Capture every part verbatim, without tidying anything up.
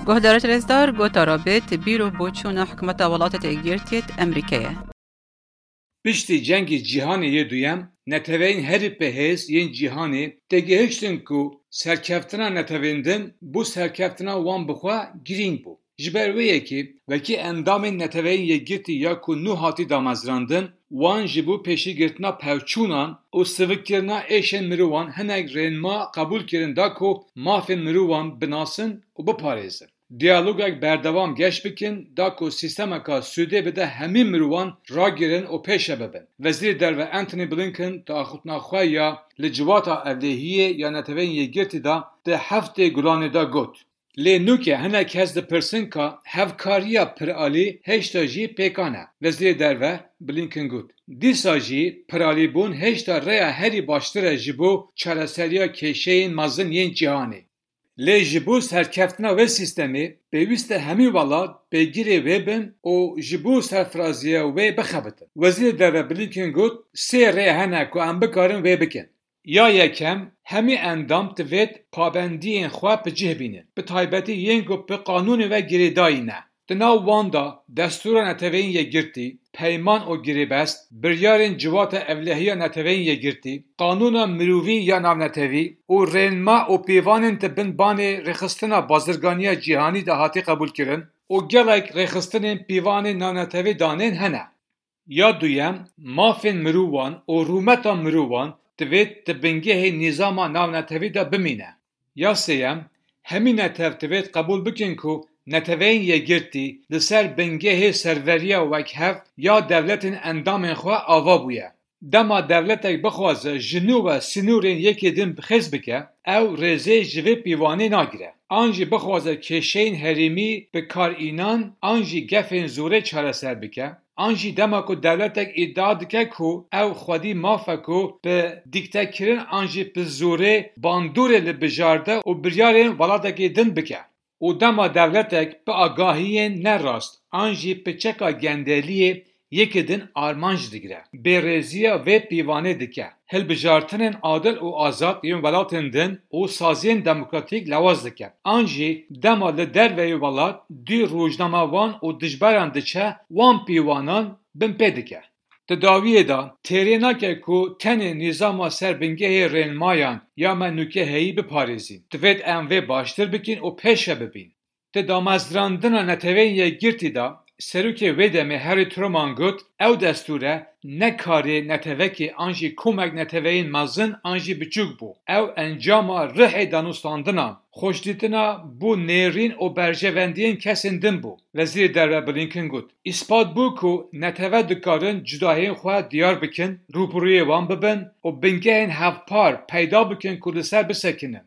Guhdarê rêzdar, gotara bêt bîr û boçûna hikûmeta Welatê Yekgirtiyê Amerîkayê. Piştî Cengê Cîhanê yê Duyem, neteweyên herî bi hêz yên cîhanê têgihiştin ku serkeftina netewên din bo serkeftina wan bi xwe girîng bû. Ji ber wê yekê, wekî endamên Neteweyên Yekgirtî ya ku nû hatî damezrandin, wan ji bo pêşîgirtina pevçûnan û sivikkirina êşên mirovan hinek rênma qebûl kirin da ku mafên mirovan binasin û biparêzin. Diyalogek berdewam geş bikin da ku sîstemeka sûdê bide hemî mirovan ragirin û pêşe bibin. Wezîrê Derve Antony Blinken di axiftina xwe ya li Civata Ewlehiyê ya Neteweyên Yekgirtî de di heftê Gulanê de got. Lê nûke hinek kes dipirsin ka hevkariya piralî hêşta jî pêkan e. Wezîrê Derve Blinken got, dîsa jî piralîbûn hêşta rêya herî baştir e ji bo çareseriya kêşeyên mezin yên cîhanê. Lê ji bo serkeftina wê sîstemê, pêwîst e hemî welat pêgirê wê bin û ji bo serfiraziya wê bixebitin. Wezîrê Derve Blinken got, sê rê hene ku em bikarin wê bikin. Ya yekem, hemî endam divêt pabendiyên xwe bi cih bînin, bi taybetî yên ku bi qanûnê ve girêdayî ne. Di nav wan de destûra Neteweyên Yekgirtî, peyman û girêbest, biryarên Civata Ewlehiya Neteweyên Yekgirtî, qanûna mirovî ya navnetewî û rênma û pîvanên di bin banê rêxistina bazirganiya cîhanî de hatî qebûlkirin û gelek rêxistinên pîvanên navnetewî danên hene. Ya duyem, mafên mirovan û rûmeta mirovan divêt di bingehê nîzama navnetewî de bimîne. Ya sêyem, hemî netew divêt qebûl bikin ku Neteweyên Yekgirtî li ser bingehê serveriya wekhev ya dewletên endamên xwe ava bûye. Dema dewletek bixwaze ji nû ve sînorên yekê din bi xêz bike, ew rêzê ji vê pîvanê nagire. An jî bixwaze kêşeyên herêmî bi kar înan an jî gefên zorê çareser bike, an jî dema ku dewletek îdia dike ku ew xwedî maf e ku bi dîktekirin an jî bi zorê bandorê li bijarde û biryarên welatekê din bike. Û dema dewletek bi agahiyên ne rast an jî bi çeka gendeliyê yekê din armanc digire, bêrêziya vê pîvanê dike, hilbijartinên adil û azad yên welatên din û saziyên demokratîk lewaz dike. An jî dema li derveyî welat dû rojnamevan û dijberan diçe, wan pîvanan binpê dike. Di dawiyê de têrê nake ku tenê nîzama ser bingehê rênmayan ya me nûke heyî biparêzîn. Divêt em vê baştir bikin û pêşe bibîn. Di damezrandina Neteweyên Yekgirtî de, serokê wê demê Harry Truman got, ew destûre ne karê netewekê an jî komek neteweyên mezin an jî biçûk bû. Ew encama rihê danûstandinan, xweşdîtina bo nêrîn û berjewendiyên kesên din bû. Wezîrê Derve Blinken got, îspat bû ku netewe dikarin cudahiyên xwe diyar bikin, rûbirûyê wan bibin û bingehên hevpar peyda bikin ku li ser bisekinin.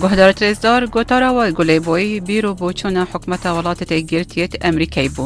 Guhdarê rêzdar, gotara we Gulê Boyî, bîr û boçûna hikûmeta Welatê Yekgirtiyê Amerîkayê bû.